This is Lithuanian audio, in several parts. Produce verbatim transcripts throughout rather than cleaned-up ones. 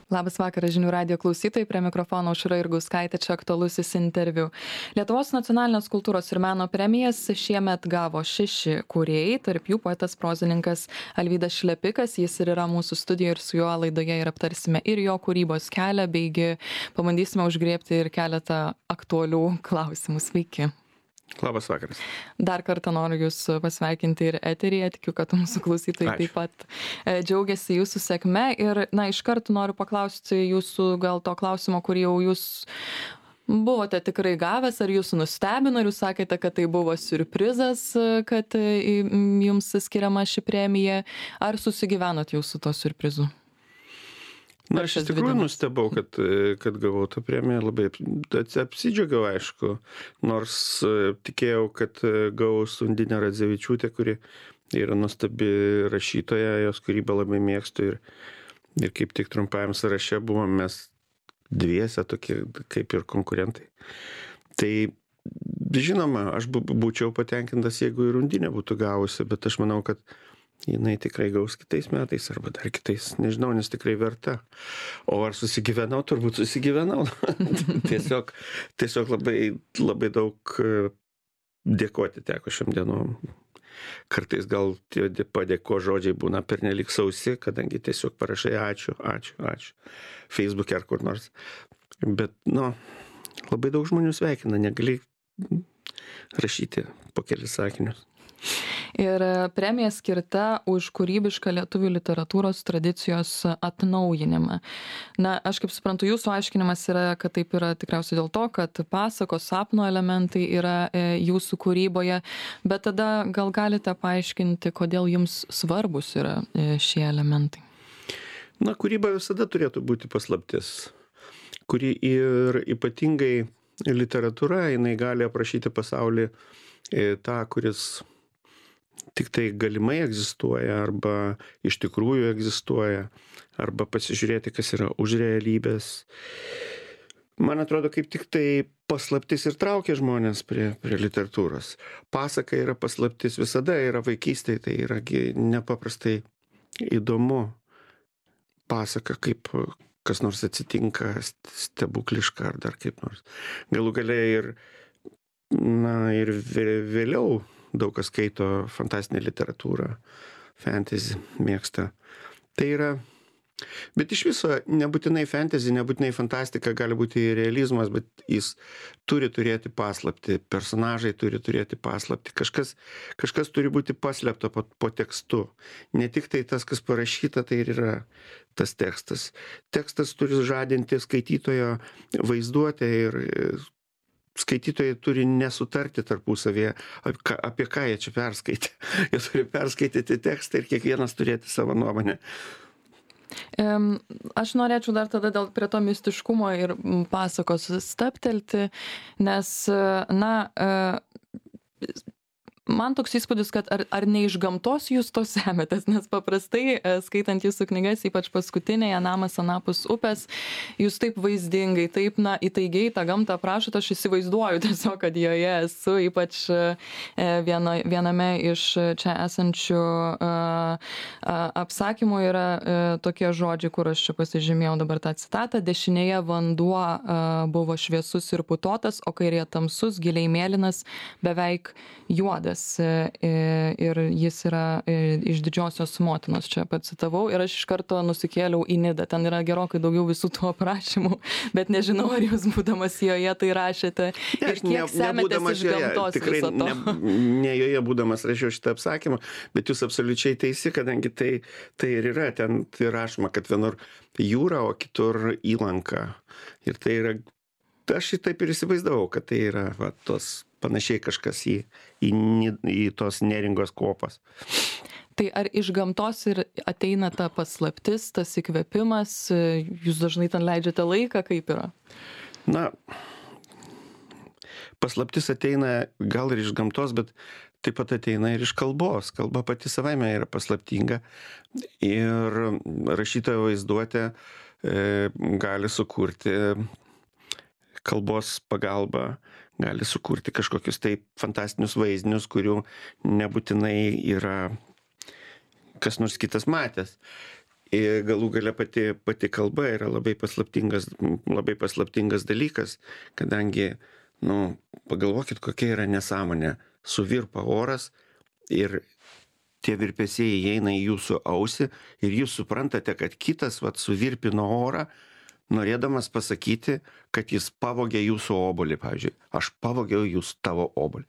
Labas vakaras žinių radijo klausytojai, prie mikrofono Aušra Jurgauskaitė, čia aktualusis interviu. Lietuvos nacionalinės kultūros ir meno premijas šiemet gavo šeši kūrėjai, tarp jų poetas prozininkas Alvydas Šlepikas, jis ir yra mūsų studijoje ir su juo laidoje ir aptarsime ir jo kūrybos kelią, beigi pabandysime užgriebti ir keletą aktualių klausimų. Sveiki. Labas vakaras. Dar kartą noriu Jūs pasveikinti ir eteryje, tikiu, kad mūsų klausytojai Ačiū. taip pat e, džiaugiasi Jūsų sėkme ir, na, iš karto noriu paklausti Jūsų gal to klausimo, kurį jau Jūs buvote tikrai gavęs, ar Jūsų nustebino, ar Jūs sakėte, kad tai buvo siurprizas, kad e, Jums skiriama ši premija, ar susigyvenot Jūs su to siurprizu? Na, aš iš tikrųjų nustebau, kad, kad gavau tą premiją, labai apsidžiaugiau, aišku, nors tikėjau, kad gaus Undinė Radzevičiūtė, kuri yra nuostabi rašytoja, jos kūrybą labai mėgstu ir, ir kaip tik trumpajam sąraše buvom mes dviese tokie kaip ir konkurentai. Tai žinoma, aš būčiau patenkintas, jeigu ir Undinė būtų gavusi, bet aš manau, kad jinai tikrai gaus kitais metais arba dar kitais, nežinau, nes tikrai verta. O ar susigyvenau, turbūt susigyvenau. tiesiog, tiesiog labai, labai daug dėkoti teko šiam dienom. Kartais gal tie padėko žodžiai būna pernelik sausi, kadangi tiesiog parašai ačiū, ačiū, ačiū. Facebook'e ar kur nors. Bet, nu, labai daug žmonių sveikina, negali rašyti po kelis sakinius. Ir premija skirta už kūrybišką lietuvių literatūros tradicijos atnaujinimą. Na, aš kaip suprantu, Jūsų aiškinimas yra, kad taip yra tikriausiai dėl to, kad pasakos, sapno elementai yra e, Jūsų kūryboje, bet tada gal galite paaiškinti, kodėl Jums svarbus yra e, šie elementai? Na, kūryba visada turėtų būti paslaptis, kuri ir ypatingai literatūra, jinai gali aprašyti pasaulį e, tą, kuris tik tai galimai egzistuoja arba iš tikrųjų egzistuoja, arba pasižiūrėti, kas yra už realybės. Man atrodo, kaip tik tai paslaptis ir traukia žmonės prie, prie literatūros. Pasaka yra paslaptis, visada yra vaikystėje, tai yra nepaprastai įdomu. Pasaka, kaip kas nors atsitinka, stebukliška ar dar kaip nors. Galų galiai ir, na, ir vėliau daug kas skaito fantastinę literatūrą, fantasy mėgsta. Tai yra, bet iš viso nebūtinai fantasy, nebūtinai fantastika, gali būti realizmas, bet jis turi turėti paslaptį, personažai turi turėti paslaptį, kažkas, kažkas turi būti paslėpta po, po tekstu. Ne tik tai tas, kas parašyta, tai ir yra tas tekstas. Tekstas turi žadinti skaitytojo vaizduotę ir skaitytojai turi nesutarti tarpusavėje, apie ką jie čia perskaitė. Jie turi perskaityti tekstą ir kiekvienas turėti savo nuomonę. Aš norėčiau dar tada dėl prie to mistiškumo ir pasakos stabtelti, nes, na, man toks įspūdis, kad ar, ar ne iš gamtos jūs to semetės, nes paprastai, skaitant Jūsų knygas, ypač paskutinėje Namas anapus upės, jūs taip vaizdingai, taip, na, įtaigiai tą gamtą aprašote, aš įsivaizduoju tiesiog, kad joje esu, ypač viena, viename iš čia esančių a, a, apsakymų yra a, tokie žodžiai, kur aš čia pasižymėjau dabar tą citatą: dešinėje vanduo a, buvo šviesus ir putotas, o kairėje tamsus, giliai mėlynas, beveik juodas. Ir jis yra iš Didžiosios motinos, čia pacitavau, ir aš iš karto nusikėliau į Nidą. Ten yra gerokai daugiau visų tų aprašymų, bet nežinau, ar jūs būdamas joje tai rašėte ne, ir kiek ne, semetės iš gamtos tikrai viso to. Ne, ne joje būdamas rašiau šitą apsakymą, bet jūs absoliučiai teisi, kadangi tai, tai ir yra, ten tai rašoma, kad vienur jūra, o kitur įlanka. Ir tai yra, aš taip ir įsivaizdavau, kad tai yra va, tos panašiai kažkas į, į, į tos neringos kopas. Tai ar iš gamtos ir ateina ta paslaptis, tas įkvėpimas, jūs dažnai ten leidžiate laiką, kaip yra? Na, paslaptis ateina gal ir iš gamtos, bet taip pat ateina ir iš kalbos. Kalba pati savaime yra paslaptinga ir rašytojo vaizduotė e, gali sukurti kalbos pagalba, gali sukurti kažkokius tai fantastinius vaizdinius, kurių nebūtinai yra kas nors kitas matęs. Ir galų gale pati, pati kalba yra labai paslaptingas, labai paslaptingas dalykas, kadangi, nu, pagalvokit, kokia yra nesąmonė. Suvirpa oras ir tie virpesiai įeina į jūsų ausį ir jūs suprantate, kad kitas vat suvirpino orą, norėdamas pasakyti, kad jis pavogė jūsų obuolį, pavyzdžiui. Aš pavogiau jūs tavo obuolį.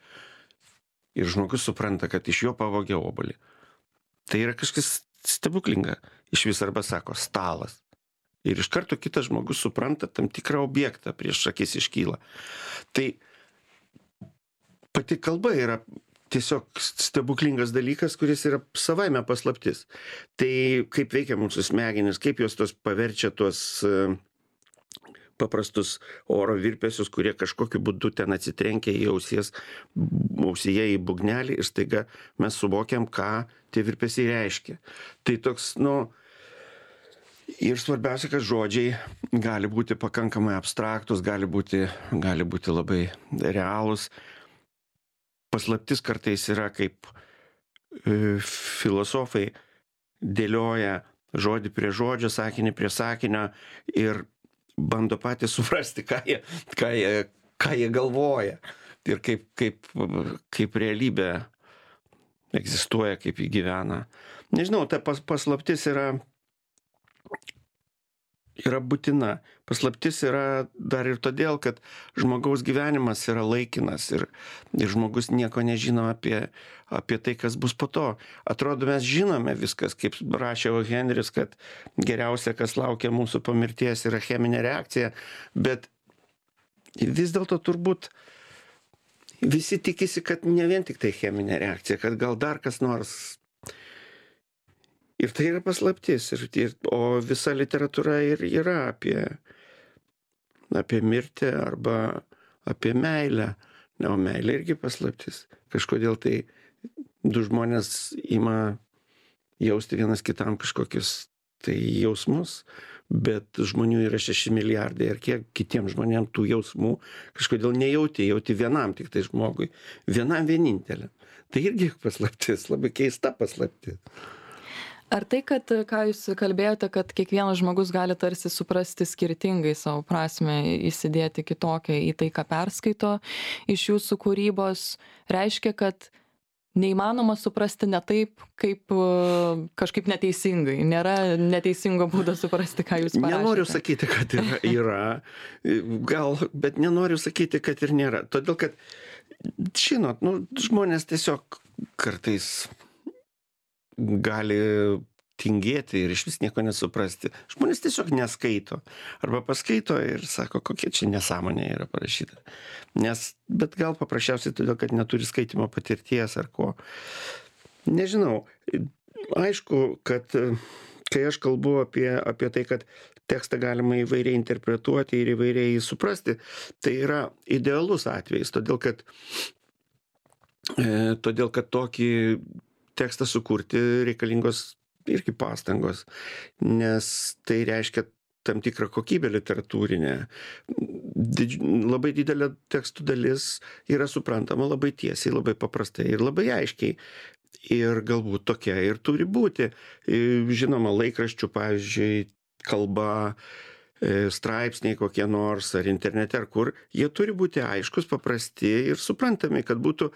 Ir žmogus supranta, kad iš jo pavogė obuolį. Tai yra kažkas stebuklinga. Iš vis arba sako stalas. Ir iš karto kitas žmogus supranta tam tikrą objektą prieš akis iškyla. Tai pati kalba yra tiesiog stebuklingas dalykas, kuris yra savaime paslaptis. Tai kaip veikia mūsų smegenys, kaip jos tos paverčia tuos paprastus oro virpesius, kurie kažkokiu būdu ten atsitrenkia į ausies, ausyje į būgnelį ir staiga mes suvokiam, ką tie virpesiai reiškia. Tai toks, nu, ir svarbiausia, kad žodžiai gali būti pakankamai abstraktus, gali būti, gali būti labai realūs. Paslaptis kartais yra, kaip e, filosofai dėlioja žodį prie žodžio, sakinį prie sakinio ir bando patys suprasti, ką jie, ką jie, ką jie galvoja ir kaip, kaip, kaip realybė egzistuoja, kaip jį gyvena. Nežinau, ta pas, paslaptis yra, yra būtina. Paslaptis yra dar ir todėl, kad žmogaus gyvenimas yra laikinas ir, ir žmogus nieko nežino apie, apie tai, kas bus po to. Atrodo, mes žinome viskas, kaip rašė O. Henris, kad geriausia, kas laukia mūsų po mirties, yra cheminė reakcija, bet vis dėlto turbūt visi tikisi, kad ne vien tik tai cheminė reakcija, kad gal dar kas nors. Ir tai yra paslaptis, ir, ir, o visa literatūra ir yra apie, apie mirtį arba apie meilę. Na, o meilė irgi paslaptis. Kažkodėl tai du žmonės ima jausti vienas kitam kažkokius tai jausmus, bet žmonių yra šeši milijardai ir kiek kitiems žmonėms tų jausmų kažkodėl nejauti, jauti vienam tik tai žmogui, vienam vieninteliam. Tai irgi paslaptis, labai keista paslaptis. Ar tai, kad, ką jūs kalbėjote, kad kiekvienas žmogus gali tarsi suprasti skirtingai savo prasmę, įsidėti kitokią į tai, ką perskaito iš jūsų kūrybos, reiškia, kad neįmanoma suprasti ne taip, kaip kažkaip neteisingai. Nėra neteisingo būdo suprasti, ką jūs parašėte. Nenoriu sakyti, kad yra, yra gal, bet nenoriu sakyti, kad ir nėra. Todėl, kad, žinot, nu, žmonės tiesiog kartais gali tingėti ir iš vis nieko nesuprasti. Žmonės tiesiog neskaito. Arba paskaito ir sako, kokia čia nesąmonė yra parašyta. Nes, bet gal paprasčiausiai todėl, kad neturi skaitimo patirties ar ko. Nežinau. Aišku, kad kai aš kalbu apie, apie tai, kad tekstą galima įvairiai interpretuoti ir įvairiai suprasti, tai yra idealus atvejis. Todėl, kad, e, todėl, kad tokį tekstą sukurti reikalingos irgi pastangos, nes tai reiškia tam tikrą kokybę literatūrinę. Didž... Labai didelė tekstų dalis yra suprantama labai tiesiai, labai paprastai ir labai aiškiai. Ir galbūt tokia ir turi būti. Žinoma, laikraščių, pavyzdžiui, kalba, straipsniai kokie nors ar internete ar kur, jie turi būti aiškus, paprasti ir suprantami, kad būtų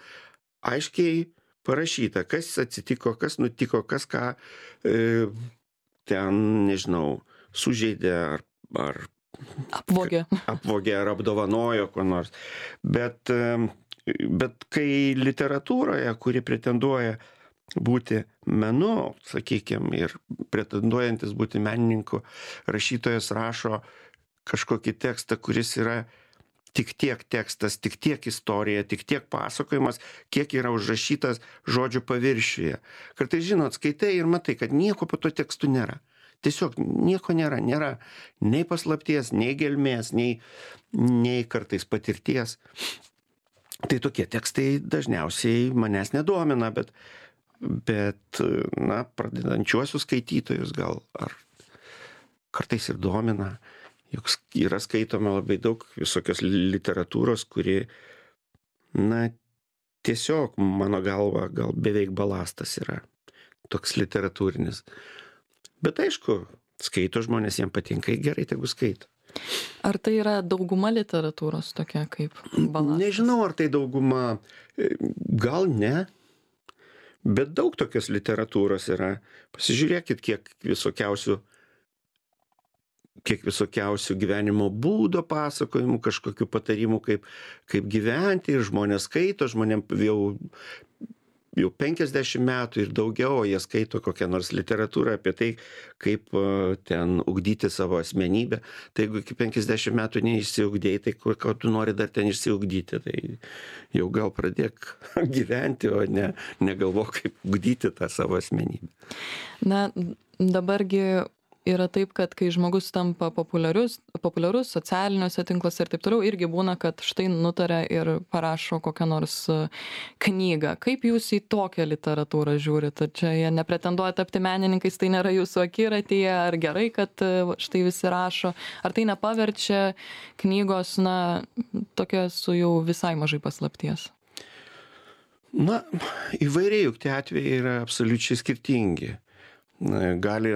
aiškiai parašyta, kas atsitiko, kas nutiko, kas ką e, ten, nežinau, sužeidė ar, ar apvogė. apvogė ar apdovanojo ko nors. Bet, e, bet kai literatūroje, kuri pretenduoja būti menu, sakykime, ir pretenduojantis būti menininku, rašytojas rašo kažkokį tekstą, kuris yra tik tiek tekstas, tik tiek istorija, tik tiek pasakojimas, kiek yra užrašytas žodžių paviršiuje. Kartais, žinot, skaitai ir matai, kad nieko po to tekstų nėra. Tiesiog nieko nėra. Nėra nei paslapties, nei gelmės, nei, nei kartais patirties. Tai tokie tekstai dažniausiai manęs nedomina, bet, bet na, pradedančiuosius skaitytojus gal ar kartais ir domina. Juk yra skaitoma labai daug visokios literatūros, kuri, na, tiesiog, mano galva, gal beveik balastas yra toks literatūrinis. Bet aišku, skaito žmonės, jiem patinka, gerai, tegu skaito. Ar tai yra dauguma literatūros tokia kaip balastas? Nežinau, ar tai dauguma, gal ne, bet daug tokios literatūros yra. Pasižiūrėkit, kiek visokiausių, kiek visokiausių gyvenimo būdo pasakojimų, kažkokių patarimų, kaip, kaip gyventi, ir žmonės skaito, žmonėm jau jau penkiasdešimt metų ir daugiau, jie skaito kokią nors literatūrą apie tai, kaip ten ugdyti savo asmenybę. Tai jeigu iki penkiasdešimt metų neišsiugdėjai, tai ko, ko tu nori dar ten išsiugdyti, tai jau gal pradėk gyventi, o ne negalvok, kaip ugdyti tą savo asmenybę. Na, dabargi yra taip, kad kai žmogus tampa populiarus, populiarus socialiniuose tinkluose ir taip toliau, irgi būna, kad štai nutaria ir parašo kokią nors knygą. Kaip jūs į tokią literatūrą žiūrit? Ar čia jie nepretenduoja tapti menininkais, tai nėra jūsų akiratyje, ar gerai, kad štai visi rašo? Ar tai nepaverčia knygos, na, tokia su jau visai mažai paslapties? Na, įvairiai, juk tie atvejai yra absoliučiai skirtingi. Gali,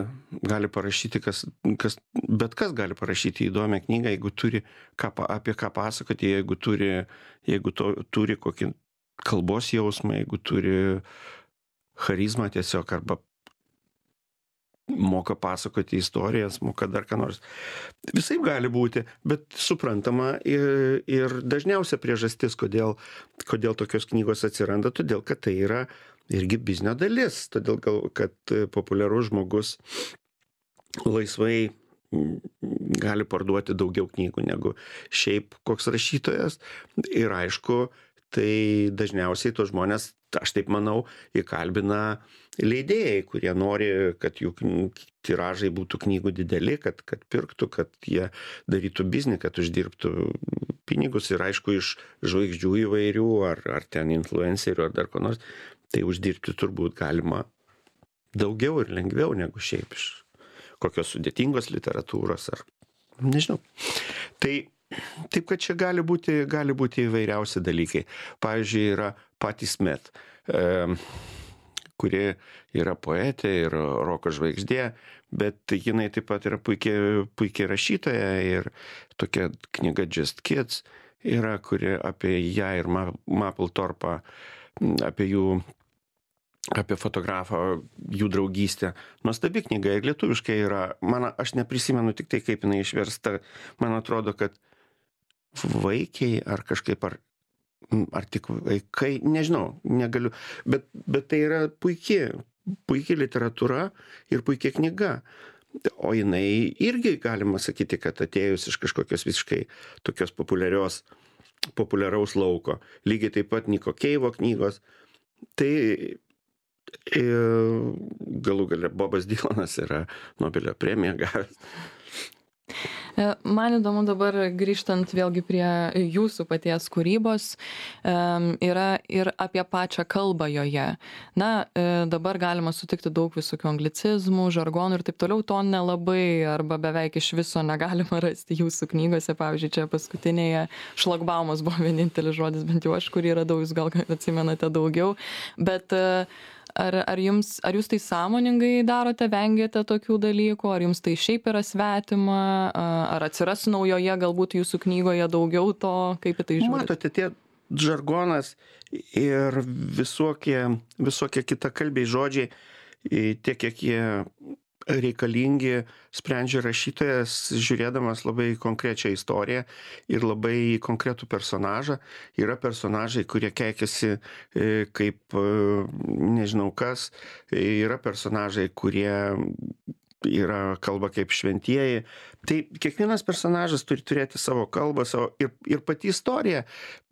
gali parašyti, kas, kas, bet kas gali parašyti įdomią knygą, jeigu turi ką, apie ką pasakoti, jeigu turi, jeigu to, turi kokį kalbos jausmą, jeigu turi charizmą tiesiog, arba moka pasakoti istorijas, moka dar ką nors. Visai gali būti, bet suprantama ir, ir dažniausia priežastis, kodėl, kodėl tokios knygos atsiranda, todėl kad tai yra irgi biznio dalis, todėl gal, kad populiarus žmogus laisvai gali parduoti daugiau knygų negu šiaip koks rašytojas. Ir aišku, tai dažniausiai tos žmonės, aš taip manau, įkalbina leidėjai, kurie nori, kad jų tiražai būtų knygų dideli, kad, kad pirktų, kad jie darytų biznį, kad uždirbtų pinigus. Ir aišku, iš žvaigždžių įvairių, ar, ar ten influencerių, ar dar ko nors, tai uždirbti turbūt galima daugiau ir lengviau negu šiaip iš kokios sudėtingos literatūros, ar nežinau. Tai taip, kad čia gali būti, gali būti įvairiausi dalykai. Pavyzdžiui, yra Patti Smith, e, kuri yra poetė ir roko žvaigždė, bet jinai taip pat yra puikiai, puikiai rašytoja, ir tokia knyga Just Kids yra, kuri apie ją ir Mapplethorpą, apie jų, apie fotografą, jų draugystę. Nuostabi knyga, ir lietuviškai yra, man, aš neprisimenu tik tai, kaip jinai išversta, man atrodo, kad vaikiai ar kažkaip, ar, ar tik vaikai, nežinau, negaliu, bet, bet tai yra puikiai, puikiai literatūra ir puikiai knyga. O jinai irgi galima sakyti, kad atėjus iš kažkokios visiškai tokios populiarios, populiaraus lauko. Lygiai taip pat Niko Keivo knygos. Tai e, galų gale Bobas Dylanas yra Nobelio premiją gavęs. Man įdomu dabar, grįžtant vėlgi prie jūsų paties kūrybos, yra ir apie pačią kalbą joje. Na, dabar galima sutikti daug visokių anglicizmų, žargonų ir taip toliau, to nelabai arba beveik iš viso negalima rasti jūsų knygose. Pavyzdžiui, čia paskutinėje šlagbaumas buvo vienintelis žodis, bent jau aš, kurį radau, jūs gal atsimenate daugiau. Bet Ar, ar, jums, ar jūs tai sąmoningai darote, vengiate tokių dalykų, ar jums tai šiaip yra svetima, ar atsiras naujoje galbūt jūsų knygoje daugiau to, kaip į tai žiūrite? Matote, tie žargonas ir visokie, visokie kitakalbiai žodžiai, tiek kiek jie reikalingi, sprendžia rašytojas, žiūrėdamas labai konkrečią istoriją ir labai konkretų personažą. Yra personažai, kurie keikiasi kaip nežinau kas, yra personažai, kurie yra kalba kaip šventieji. Tai kiekvienas personažas turi turėti savo kalbą, savo ir, ir pati istorija.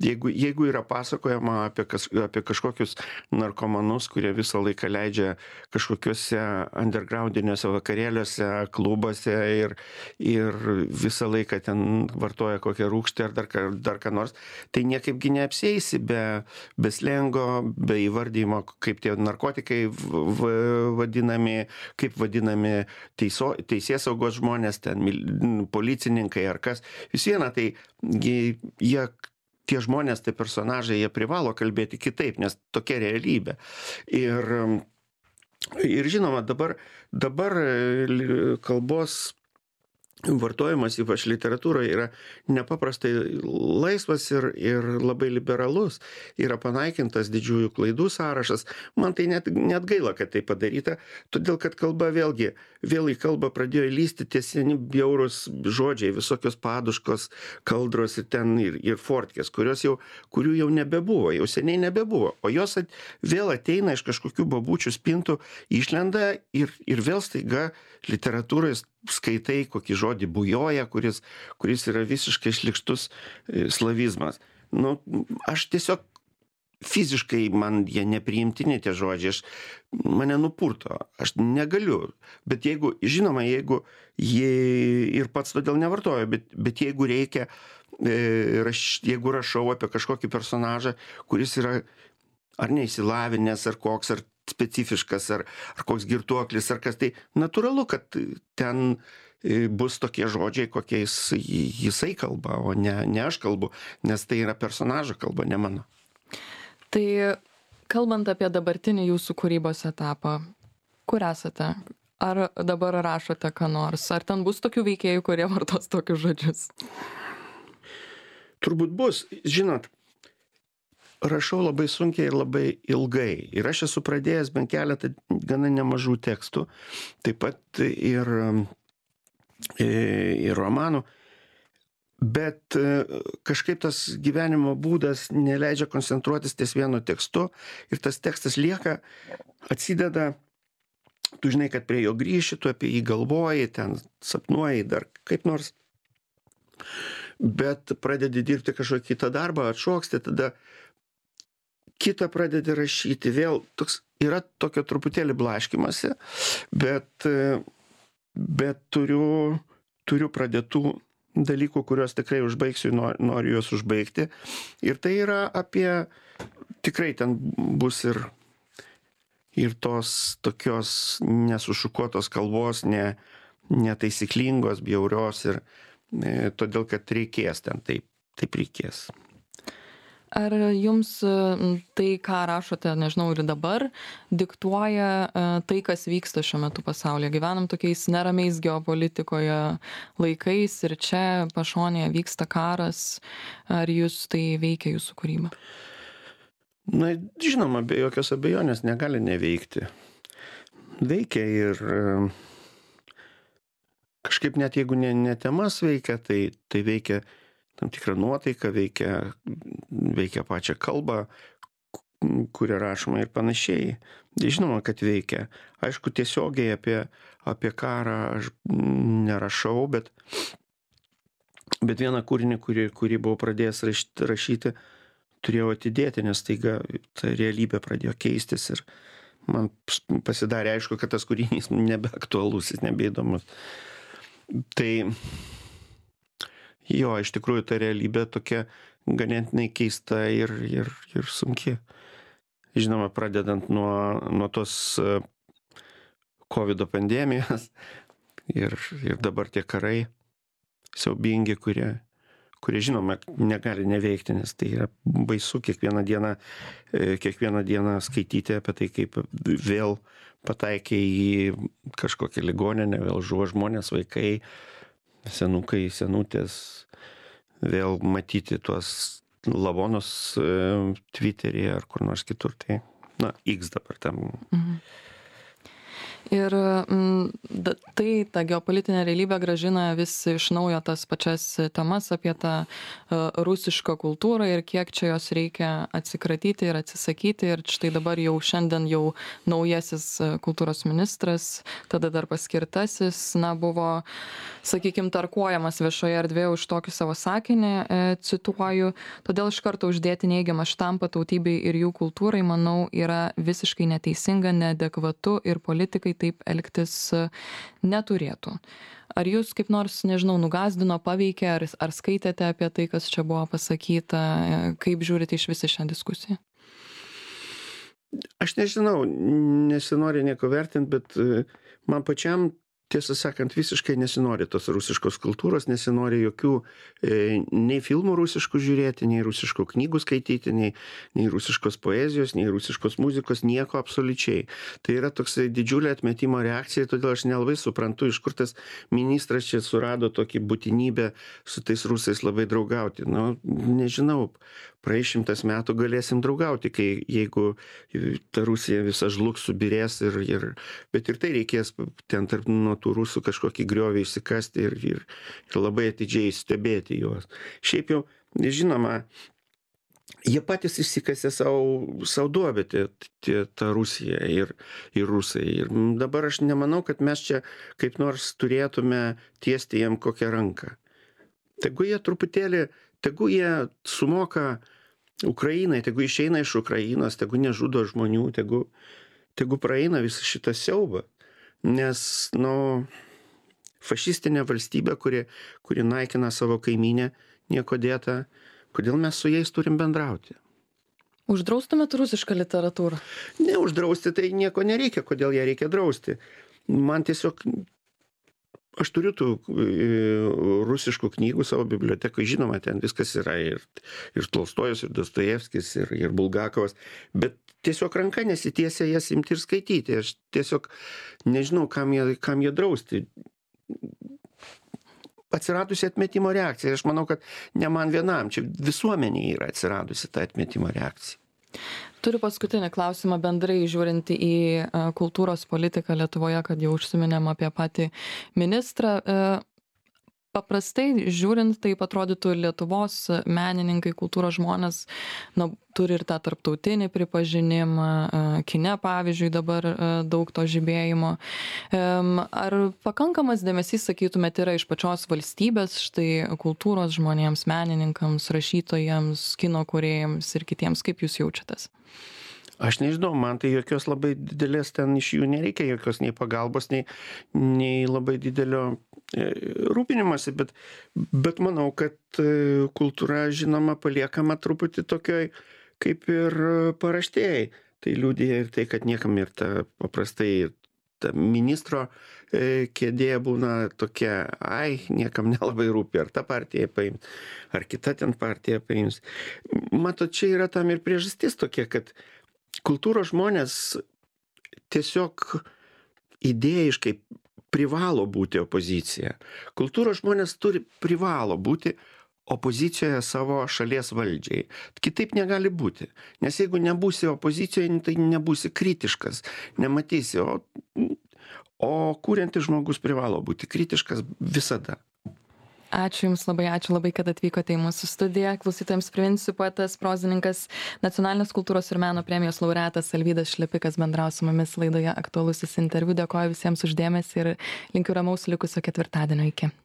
Jeigu, jeigu yra pasakojama apie, kas, apie kažkokius narkomanus, kurie visą laiką leidžia kažkokiuose undergroundiniuose vakarėliuose, klubuose ir, ir visą laiką ten vartoja kokią rūgštį ar dar, dar ką nors, tai niekaipgi neapsieisi be, be slengo, be įvardymo, kaip tie narkotikai vadinami, kaip vadinami teiso, teisės saugos žmonės, ten policininkai ar kas. Vis viena, tai jie, jie, tie žmonės, tai personažai, jie privalo kalbėti kitaip, nes tokia realybė. Ir Ir žinoma, dabar, dabar kalbos vartojimas, ypač literatūroje, yra nepaprastai laisvas ir, ir labai liberalus. Yra panaikintas didžiųjų klaidų sąrašas. Man tai net, net gaila, kad tai padaryta, todėl kad kalba vėlgi, vėl į kalbą pradėjo lysti tie seni bjaurūs žodžiai, visokios paduškos, kaldros ir ten ir, ir fortkės, kurios jau, kurių jau nebebuvo, jau seniai nebebuvo. O jos at, vėl ateina iš kažkokių babučių spintų, išlenda ir, ir vėl staiga literatūroje skaitai kokį žodį bujoja, kuris, kuris yra visiškai šlykštus slavizmas. Nu, aš tiesiog fiziškai man jie nepriimtini tie žodžiai, aš, mane nupurto, aš negaliu. Bet jeigu, žinoma, jeigu jie ir pats todėl nevartoju, bet, bet jeigu reikia, raš, jeigu rašau apie kažkokį personažą, kuris yra ar neįsilavinęs, ar koks, ar specifiškas, ar, ar koks girtuoklis, ar kas, tai natūralu, kad ten bus tokie žodžiai, kokiais jisai kalba, o ne, ne aš kalbu, nes tai yra personažo kalba, ne mano. Tai kalbant apie dabartinį jūsų kūrybos etapą, kur esate? Ar dabar rašote ką nors? Ar ten bus tokių veikėjų, kurie vartos tokius žodžius? Turbūt bus. Žinot, rašau labai sunkiai ir labai ilgai. Ir aš esu pradėjęs bent keletą gana nemažų tekstų, taip pat ir, ir romanų. Bet kažkaip tas gyvenimo būdas neleidžia koncentruotis ties vienu tekstu ir tas tekstas lieka, atsideda, tu žinai, kad prie jo grįši, tu apie jį galvoji, ten sapnuoji dar kaip nors, bet pradedi dirbti kažkokį kitą darbą, atšoksti, tada kitą pradedi rašyti, vėl toks, yra tokio truputėlį blaškimasi, bet, bet turiu, turiu pradėtų dalykų, kuriuos tikrai užbaigsiu, noriu juos užbaigti. Ir tai yra apie, tikrai ten bus ir, ir tos tokios nesušukuotos kalbos, ne, netaisyklingos, bjaurios ir e, todėl, kad reikės ten, taip, taip reikės. Ar jums tai, ką rašote, nežinau, ir dabar, diktuoja tai, kas vyksta šiuo metu pasaulyje? Gyvenam tokiais neramiais geopolitikoje laikais ir čia pašonėje vyksta karas. Ar jūs tai veikia jūsų kūrybą? Na, žinoma, be jokios abejonės negali neveikti. Veikia ir kažkaip net jeigu ne, ne temas veikia, tai, tai veikia tam tikrą nuotaiką, veikia, veikia pačią kalbą, kurią rašoma ir panašiai. Žinoma, kad veikia. Aišku, tiesiogiai apie, apie karą aš nerašau, bet, bet vieną kūrinį, kurį, kurį buvau pradėjęs rašyti, rašyti, turėjau atidėti, nes taiga ta realybė pradėjo keistis ir man pasidarė aišku, kad tas kūrinys nebeaktualus, jis nebeįdomus. Tai jo, iš tikrųjų ta realybė tokia ganėtinai keista ir, ir, ir sunki. Žinoma, pradedant nuo, nuo tos COVID pandemijos ir, ir dabar tie karai siaubingi, kurie, kurie žinoma negali neveikti, nes tai yra baisu kiekvieną dieną, kiekvieną dieną skaityti apie tai, kaip vėl pataikė į kažkokią ligoninę, vėl žuvo žmonės, vaikai, senukai, senutės, vėl matyti tuos lavonus e, Twitter'yje ar kur nors kitur, tai, na, X dabar tam. Mhm. Ir m, tai ta geopolitinė realybė grąžina vis iš naujo tas pačias temas apie tą uh, rusišką kultūrą ir kiek čia jos reikia atsikratyti ir atsisakyti. Ir štai dabar jau šiandien jau naujasis kultūros ministras, tada dar paskirtasis, na, buvo, sakykime, tarkuojamas viešoje erdvėje už tokį savo sakinį, e, cituoju, todėl iš karto uždėti neigiamą štampą tautybei ir jų kultūrai, manau, yra visiškai neteisinga, neadekvatu ir politikai taip elgtis neturėtų. Ar jūs kaip nors, nežinau, nugazdino, paveikė, ar, ar skaitėte apie tai, kas čia buvo pasakyta, kaip žiūrite iš visą šią diskusiją? Aš nežinau, nesinori nieko vertinti, bet man pačiam tiesą sakant, visiškai nesinori tos rusiškos kultūros, nesinori jokių e, nei filmų rusiškų žiūrėti, nei rusiškų knygų skaityti, nei, nei rusiškos poezijos, nei rusiškos muzikos, nieko absoliučiai. Tai yra toksai didžiulė atmetimo reakcija, todėl aš nelabai suprantu, iš kur tas ministras čia surado tokį būtinybę su tais rusais labai draugauti. Nu, nežinau, praeis šimtas metų galėsim draugauti, kai jeigu ta Rusija visa žlugs, subirės ir, ir bet ir tai reikės ten tarp nuo tų rusų kažkokį griovį išsikasti ir, ir, ir labai atidžiai stebėti juos. Šiaip jau, žinoma, jie patys išsikasė savo, savo duobę, tą Rusiją ir, ir rusai. Ir dabar aš nemanau, kad mes čia kaip nors turėtume tiesti jiem kokią ranką. Tegu jie truputėlį, tegu jie sumoka Ukrainai, tegu išeina iš Ukrainos, tegu nežudo žmonių, tegu, tegu praeina visą šitą siaubą. Nes, nu, fašistinė valstybė, kuri, kuri naikina savo kaimynę, nieko dėta, kodėl mes su jais turim bendrauti? Uždraustumėt rusišką literatūrą? Ne, uždrausti tai nieko nereikia, kodėl ją reikia drausti. Man tiesiog, aš turiu tų rusiškų knygų savo bibliotekoje, žinoma, ten viskas yra ir, ir Tolstojus, ir Dostojevskis, ir, ir Bulgakovas, bet tiesiog ranka nesitiesia jas imti ir skaityti. Aš tiesiog nežinau, kam jie, kam jie drausti. Atsiradusi atmetimo reakcija. Aš manau, kad ne man vienam, čia visuomenėje yra atsiradusi ta atmetimo reakcija. Turiu paskutinį klausimą bendrai žiūrint į kultūros politiką Lietuvoje, kad jau užsiminėm apie patį ministrą. Paprastai žiūrint, taip atrodytų Lietuvos menininkai, kultūros žmonės, na, turi ir tą tarptautinį pripažinimą, kine, pavyzdžiui, dabar daug to žibėjimo. Ar pakankamas dėmesys, sakytumėte, yra iš pačios valstybės, štai kultūros žmonėms, menininkams, rašytojams, kino kūrėjams ir kitiems, kaip jūs jaučiatės? Aš nežinau, man tai jokios labai didelės ten iš jų nereikia, jokios nei pagalbos, nei, nei labai didelio rūpinimasi, bet, bet manau, kad kultūra, žinoma, paliekama truputį tokioj kaip ir paraštėjai. Tai liudija ir tai, kad niekam ir ta paprastai ta ministro kėdė būna tokia, ai, niekam nelabai rūpi, ar ta partija paims, ar kita ten partija paims. Matot, čia yra tam ir priežastis tokia, kad kultūros žmonės tiesiog idėjiškai privalo būti opozicija. Kultūros žmonės turi privalo būti opozicijoje savo šalies valdžiai. Kitaip negali būti. Nes jeigu nebūsi opozicijoje, tai nebūsi kritiškas, nematysi. O, o kuriantis žmogus privalo būti kritiškas visada. Ačiū Jums labai, ačiū labai, kad atvykote į mūsų studiją. Klausytojams priminsiu, poetas, prozininkas, Nacionalinės kultūros ir meno premijos laureatas Alvydas Šlepikas bendravo su mumis laidoje Aktualusis interviu. Dėkoju visiems už dėmesį ir linkiu ramaus likusio ketvirtadienio. Iki.